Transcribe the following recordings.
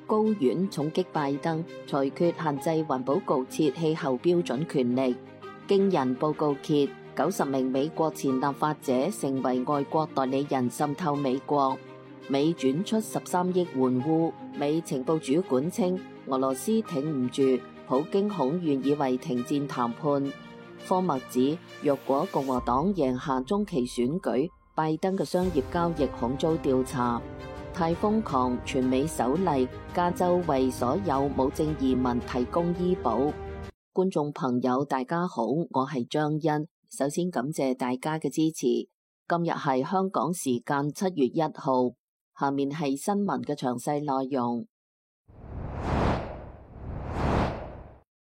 高院重擊拜登，裁決限制環保局設氣候標準權力。驚人報告揭，90名美國前立法者成為外國代理人滲透美國。美轉出13億援烏。美情報主管稱，俄羅斯挺唔住，普京恐願意為停戰談判。科默指，若果共和黨贏下中期選舉，拜登嘅商業交易恐遭調查。太瘋狂，全美首例，加州為所有無證移民提供醫保。觀眾朋友大家好，我係張欣，首先感謝大家嘅支持。今日係香港時間7月1號，下面係新聞嘅詳細內容。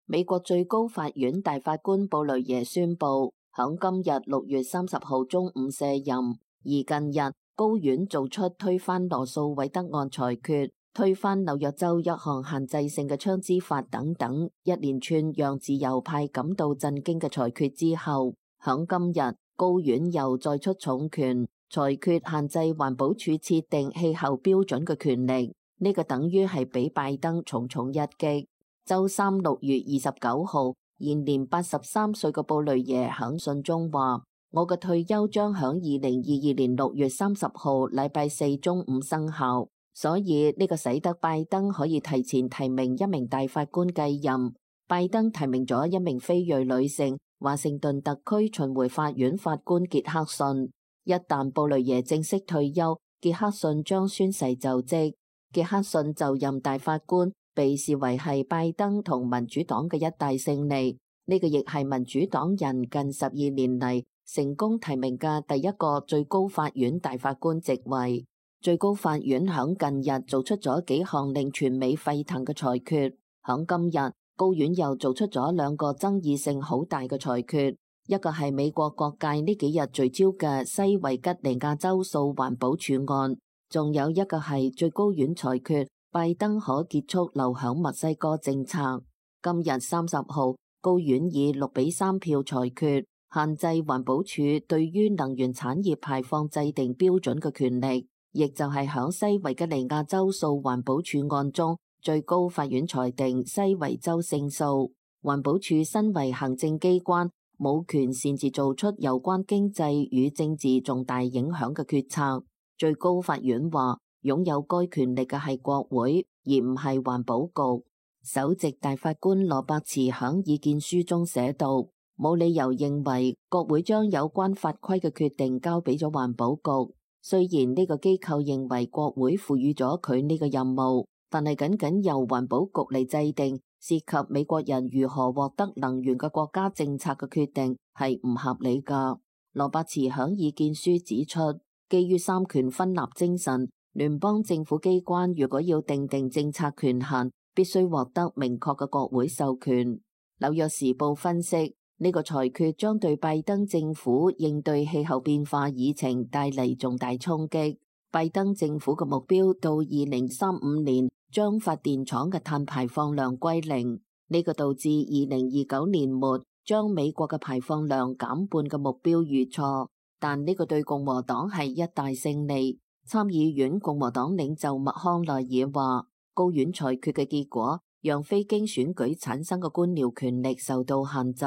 美國最高法院大法官布雷耶宣布，響今日6月30號中午卸任。而近日高院做出推翻羅訴韋德案裁決、推翻紐約州一項限制性嘅槍支法等等一連串讓自由派感到震驚嘅裁決之後，響今日高院又再出重拳，裁決限制環保署設定氣候標準嘅權力。呢個等於係俾拜登重重一擊。周三6月29號，現年83歲嘅布雷耶響信中話：我嘅退休將響2022年6月30號禮拜四中午生效，所以呢個使得拜登可以提前提名一名大法官繼任。拜登提名咗一名非裔女性，華盛頓特區巡迴法院法官傑克遜。一旦布雷耶正式退休，傑克遜將宣誓就職。傑克遜就任大法官，被視為係拜登同民主黨嘅一大勝利。呢個亦係民主黨人近12年嚟成功提名嘅第一個最高法院大法官職位。最高法院響近日做出咗幾項令全美沸騰嘅裁決。響今日，高院又做出咗兩個爭議性好大嘅裁決，一個係美國各界呢幾日聚焦嘅西維吉尼亞州訴環保署案，仲有一個係最高院裁決拜登可結束留響墨西哥政策。今日30號，高院以6-3票裁決，限制環保署對於能源產業排放制定標準嘅權力，亦就係響西維吉尼亞州訴環保署案中，最高法院裁定西維州勝訴。環保署身為行政機關，冇權擅自做出有關經濟與政治重大影響嘅決策。最高法院話，擁有該權力嘅係國會，而唔係環保局。首席大法官羅伯茨響意見書中寫道，冇理由認為國會將有關法規嘅決定交俾咗環保局。雖然呢個機構認為國會賦予咗佢呢個任務，但係僅僅由環保局嚟制定涉及美國人如何獲得能源嘅國家政策嘅決定係唔合理㗎。羅伯茨響意見書指出，基於三權分立精神，聯邦政府機關如果要訂定政策權限，必須獲得明確嘅國會授權。紐約時報分析，呢個裁決將對拜登政府應對氣候變化議程帶嚟重大衝擊。拜登政府嘅目標到2035年將發電廠嘅碳排放量歸零，呢個導致2029年末將美國嘅排放量減半嘅目標遇錯。但呢個對共和黨係一大勝利。參議院共和黨領袖麥康奈爾話，高院裁決嘅結果讓非經選舉產生嘅官僚權力受到限制。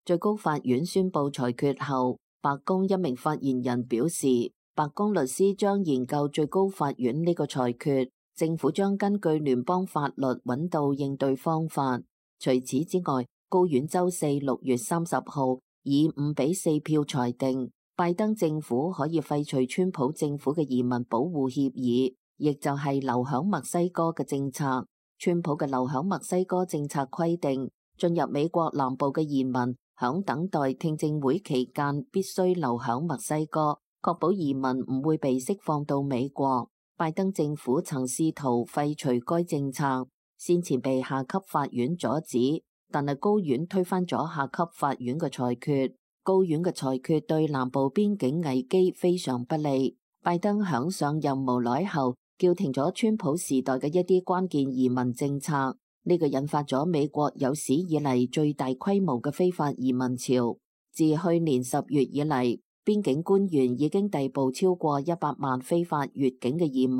最高法院宣布裁決後，白宮一名發言人表示，白宮律師將研究最高法院呢個裁決，政府將根據聯邦法律揾到應對方法。除此之外，高院周四6月30號以5-4票裁定，拜登政府可以廢除川普政府嘅移民保護協議，亦就係留響墨西哥嘅政策。川普嘅留響墨西哥政策規定，進入美國南部嘅移民響等待聽證會期間必須留響墨西哥，確保移民唔會被釋放到美國。拜登政府曾試圖廢除該政策，先前被下級法院阻止，但係高院推翻咗下級法院嘅裁決。高院嘅裁決對南部邊境危機非常不利。拜登響上任無耐後，叫停咗川普時代嘅一啲關鍵移民政策，呢個引發咗美國有史以嚟最大規模嘅非法移民潮。自去年10月以嚟，邊境官員已經逮捕超過100萬非法越境嘅移民。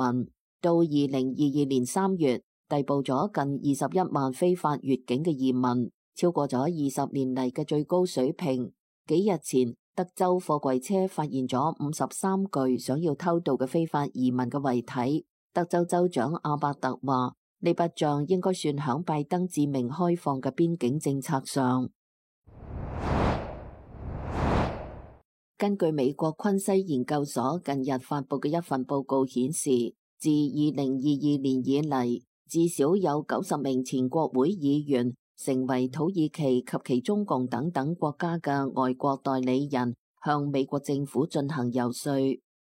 到2022年3月，逮捕咗近21萬非法越境嘅移民，超過咗20年嚟嘅最高水平。幾日前，德州貨櫃車發現咗53具想要偷渡嘅非法移民嘅遺體。德州州長阿伯特話：呢筆賬應該算響拜登自命開放嘅邊境政策上。根據美國昆西研究所近日發佈嘅一份報告顯示，自2022年以嚟，至少有90名前國會議員成為土耳其及其中共等等國家嘅外國代理人，向美國政府進行游說。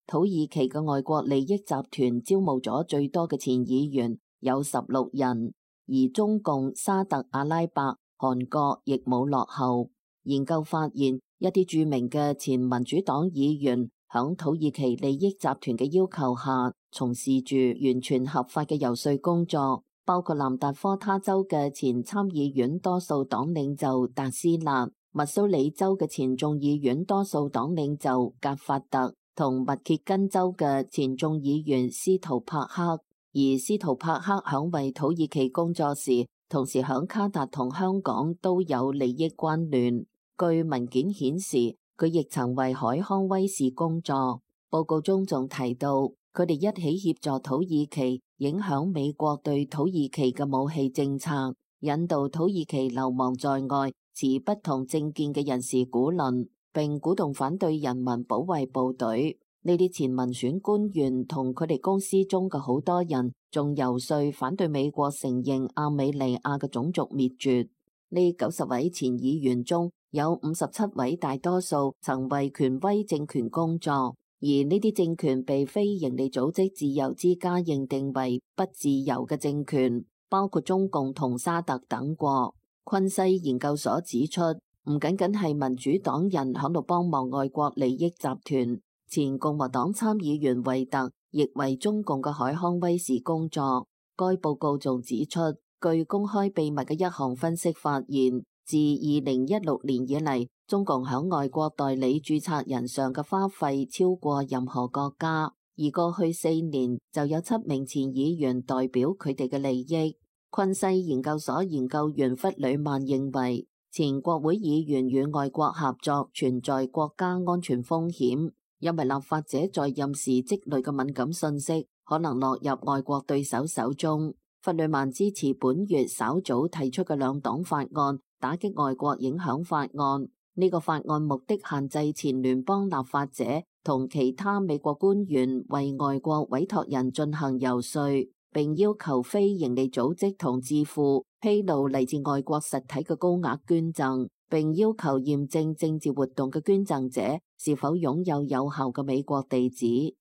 土耳其嘅外國利益集團招募咗最多嘅前議員，有16人，而中共、沙特阿拉伯、韓國亦冇落後。研究發現，一啲著名嘅前民主黨議員響土耳其利益集團嘅要求下，從事住完全合法嘅游說工作，包括南達科他州嘅前參議院多數黨領袖達斯納、密蘇里州嘅前眾議院多數黨領袖格法特，同密歇根州嘅前眾議員斯圖帕克。而斯圖帕克響為土耳其工作時，同時響卡達同香港都有利益關聯。據文件顯示，佢亦曾為海康威視工作。報告中仲提到，佢哋一起協助土耳其影響美國對土耳其嘅武器政策，引導土耳其流亡在外、持不同政見嘅人士鼓論，並鼓動反對人民保衛部隊。呢啲前民選官員同佢哋公司中嘅好多人，仲游說反對美國承認亞美尼亞嘅種族滅絕。呢90位前議員中，有57位大多數曾為權威政權工作，而呢啲政權被非營利組織自由之家認定為不自由嘅政權，包括中共同沙特等國。昆西研究所指出，唔僅僅係民主黨人響度幫忙外國利益集團，前共和黨參議員惠特亦為中共嘅海康威視工作。該報告仲指出，據公開秘密嘅一項分析發現，自2016年以嚟，中共響外國代理註冊人上嘅花費超過任何國家，而過去4年就有7名前議員代表佢哋嘅利益。昆西研究所研究員弗里曼認為，前國會議員與外國合作存在國家安全風險，因為立法者在任時積累嘅敏感信息可能落入外國對手手中。弗里曼支持本月稍早提出嘅兩黨法案，打擊外國影響法案。呢個法案目的限制前聯邦立法者同其他美國官員為外國委託人進行游說，並要求非營利組織同智庫披露嚟自外國實體嘅高額捐贈，並要求驗證政治活動嘅捐贈者是否擁有有效嘅美國地址。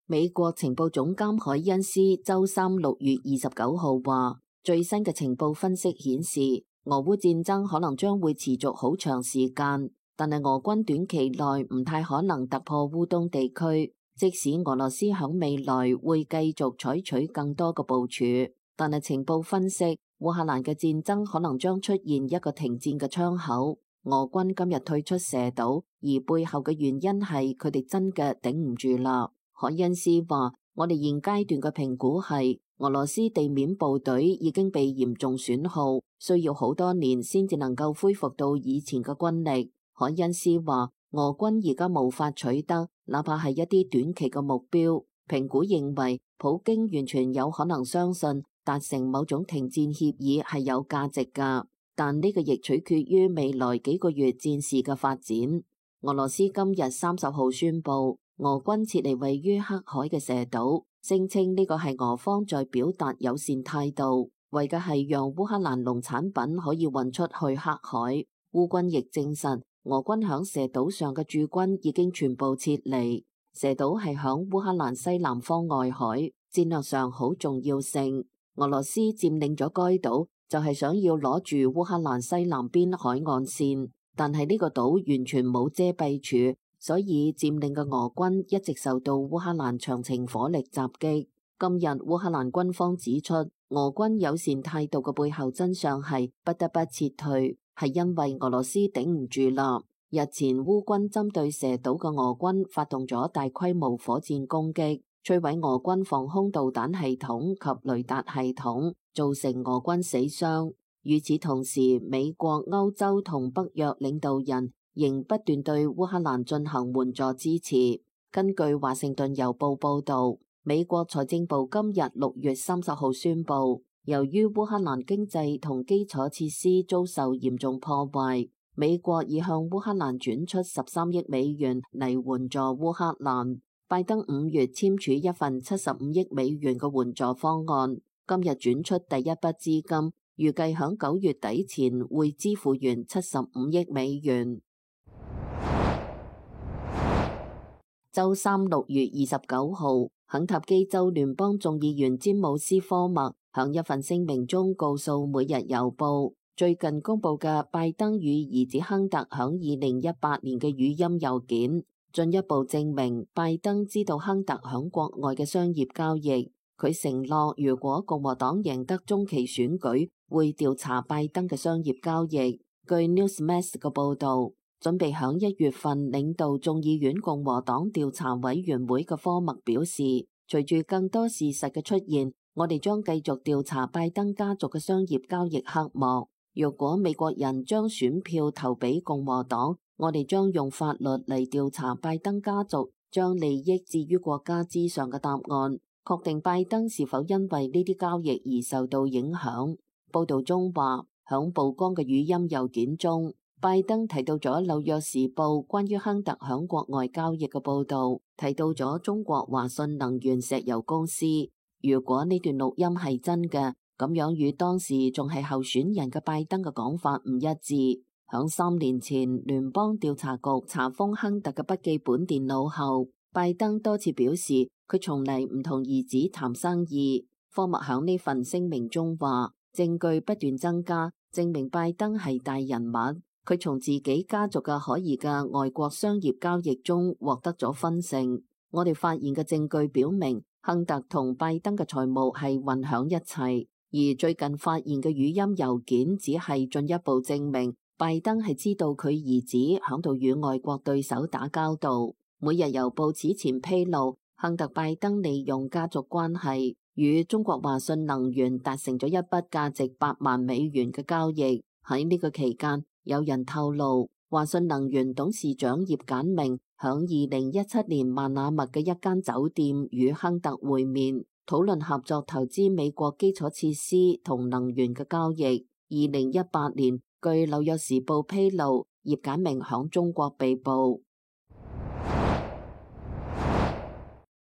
美國情報總監海恩斯周三6月29號話，最新嘅情報分析顯示，俄烏戰爭可能將會持續好長時間，但係俄軍短期內唔太可能突破烏東地區。即使俄羅斯響未來會繼續採取更多嘅部署，但係情報分析，烏克蘭嘅戰爭可能將出現一個停戰嘅窗口。俄軍今日退出蛇島，而背後嘅原因係佢哋真嘅頂唔住啦。海恩斯話：我哋現階段嘅評估係，俄羅斯地面部隊已經被嚴重損耗，需要好多年先至能夠恢復到以前嘅軍力。海恩斯話：俄軍而家無法取得，哪怕係一啲短期嘅目標。評估認為，普京完全有可能相信達成某種停戰協議係有價值㗎，但呢個亦取決於未來幾個月戰事嘅發展。俄羅斯今日30號宣布，俄軍撤離位於黑海嘅蛇島，聲稱呢個係俄方在表達友善態度，為嘅係讓烏克蘭農產品可以運出去黑海。烏軍亦證實，俄軍響蛇島上嘅駐軍已經全部撤離。蛇島係響烏克蘭西南方外海，戰略上好重要性。俄羅斯佔領咗該島，就係想要攞住烏克蘭西南邊海岸線，但係呢個島完全冇遮蔽處，所以佔領嘅俄軍一直受到烏克蘭長程火力襲擊。今日烏克蘭軍方指出，俄軍友善態度嘅背後真相係不得不撤退，係因為俄羅斯頂唔住啦。日前烏軍針對蛇島嘅俄軍發動咗大規模火箭攻擊，摧毀俄軍防空導彈系統及雷達系統，造成俄軍死傷。與此同時，美國、歐洲同北約領導人仍不斷對烏克蘭進行援助支持。根據華盛頓郵報報導，美國財政部今日6月30號宣布，由於烏克蘭經濟同基礎設施遭受嚴重破壞，美國已向烏克蘭轉出13億美元嚟援助烏克蘭。拜登5月簽署一份75億美元嘅援助方案，今日轉出第一筆資金，預計響9月底前會支付完75億美元。周三6月29號，肯塔基州聯邦眾議員詹姆斯科默響一份聲明中告訴《每日郵報》，最近公布嘅拜登與兒子亨特響2018年嘅語音郵件，進一步證明拜登知道亨特響國外嘅商業交易。佢承諾，如果共和黨贏得中期選舉，會調查拜登嘅商業交易。據 Newsmax 嘅報導，準備響1月份領導眾議院共和黨調查委員會嘅科默表示，隨住更多事實嘅出現，我哋將繼續調查拜登家族嘅商業交易黑幕。若果美國人將選票投俾共和黨，我哋將用法律嚟調查拜登家族將利益置於國家之上嘅答案，確定拜登是否因為呢啲交易而受到影響。報道中話，響曝光嘅語音郵件中，拜登提到咗《紐約時報》關於亨特響國外交易嘅報導，提到咗中國華信能源石油公司。如果呢段錄音係真嘅，咁樣與當時仲係候選人嘅拜登嘅講法唔一致。響3年前，聯邦調查局查封亨特嘅筆記本電腦後，拜登多次表示佢從嚟唔同兒子談生意。科默響呢份聲明中話，證據不斷增加，證明拜登係大人物。佢從自己家族嘅可疑嘅外國商業交易中獲得咗分成。我哋發現嘅證據表明，亨特同拜登嘅財務係混響一齊，而最近發現嘅語音郵件只係進一步證明拜登係知道佢兒子響度與外國對手打交道。每日郵報此前披露，亨特拜登利用家族關係與中國華信能源達成咗一筆價值8萬美元嘅交易。喺呢個期間，有人透露，華信能源董事長葉簡明響2017年曼那密嘅一間酒店與亨特會面，討論合作投資美國基礎設施同能源嘅交易。2018年，據紐約時報披露，葉簡明響中國被捕。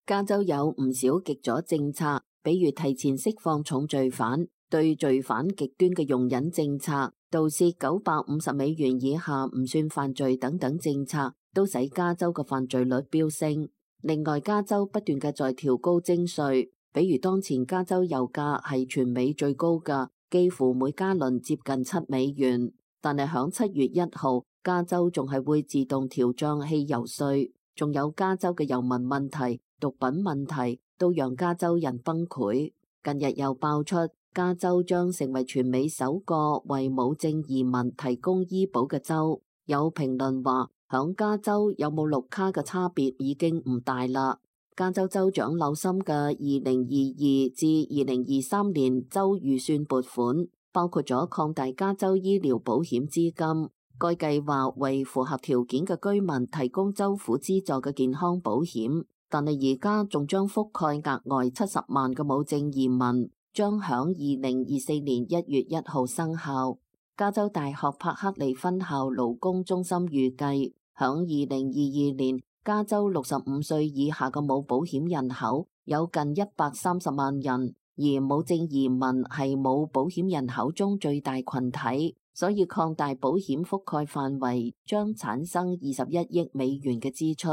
加州有唔少極左政策，比如提前釋放重罪犯、對罪犯極端嘅容忍政策、盜竊950美元以下唔算犯罪等等政策，都使加州嘅犯罪率飆升。另外，加州不斷嘅在調高徵稅，比如當前加州油價係全美最高嘅，幾乎每加侖接近7美元。但係響7月1號，加州仲係會自動調漲汽油稅，仲有加州嘅遊民問題、毒品問題都讓加州人崩潰。近日又爆出加州將成為全美首個為無證移民提供醫保嘅州。有評論話，響加州有冇綠卡嘅差別已經唔大啦。加州州長紐森嘅2022至2023年州預算撥款包括咗擴大加州醫療保險資金，該計劃為符合條件嘅居民提供州府資助嘅健康保險。但係而家仲將覆蓋額外70萬嘅無證移民，將響2024年1月1號生效。加州大學柏克利分校勞工中心預計，響2022年，加州65歲以下嘅冇保險人口有近130萬人，而無證移民係冇保險人口中最大群體，所以擴大保險覆蓋範圍將產生21億美元嘅支出。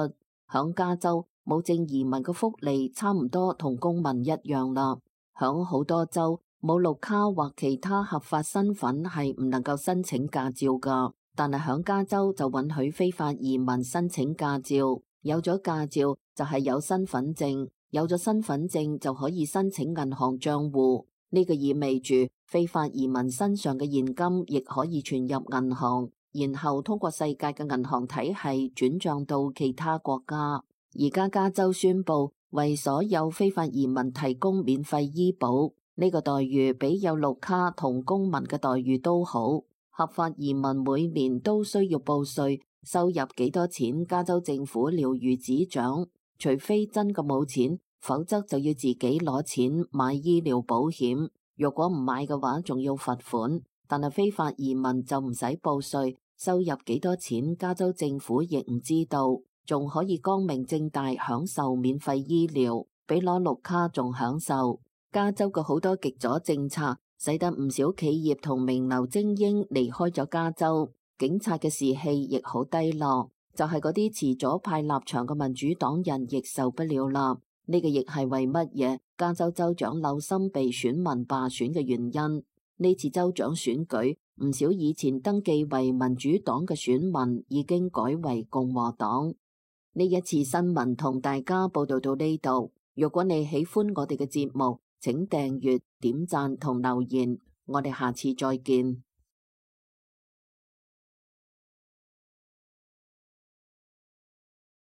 響加州，無證移民嘅福利差唔多同公民一樣啦。響好多州，冇綠卡或其他合法身份係唔能夠申請駕照噶，但係響加州就允許非法移民申請駕照。有咗駕照就係有身份證，有咗身份證就可以申請銀行賬戶。呢個意味住非法移民身上嘅現金亦可以存入銀行，然後通過世界嘅銀行體系轉賬到其他國家。而家加州宣布為所有非法移民提供免費醫保，呢個待遇比有綠卡同公民嘅待遇都好。合法移民每年都需要報稅，收入幾多錢，加州政府了如指掌。除非真嘅冇錢，否則就要自己攞錢買醫療保險。若果唔買嘅話，仲要罰款。但係非法移民就唔使報稅，收入幾多錢，加州政府亦唔知道，仲可以光明正大享受免費醫療，比攞綠卡仲享受。加州嘅好多極左政策，使得唔少企業同名流精英離開咗加州，警察嘅士氣亦好低落。就係嗰啲持左派立場嘅民主黨人亦受不了啦。呢個亦係為乜嘢加州州長紐森被選民罷選嘅原因。呢次州長選舉，唔少以前登記為民主黨嘅選民已經改為共和黨。呢一次新聞同大家報道到呢度。如果你喜歡我哋嘅節目，請訂閱、點讚同留言。我哋下次再見。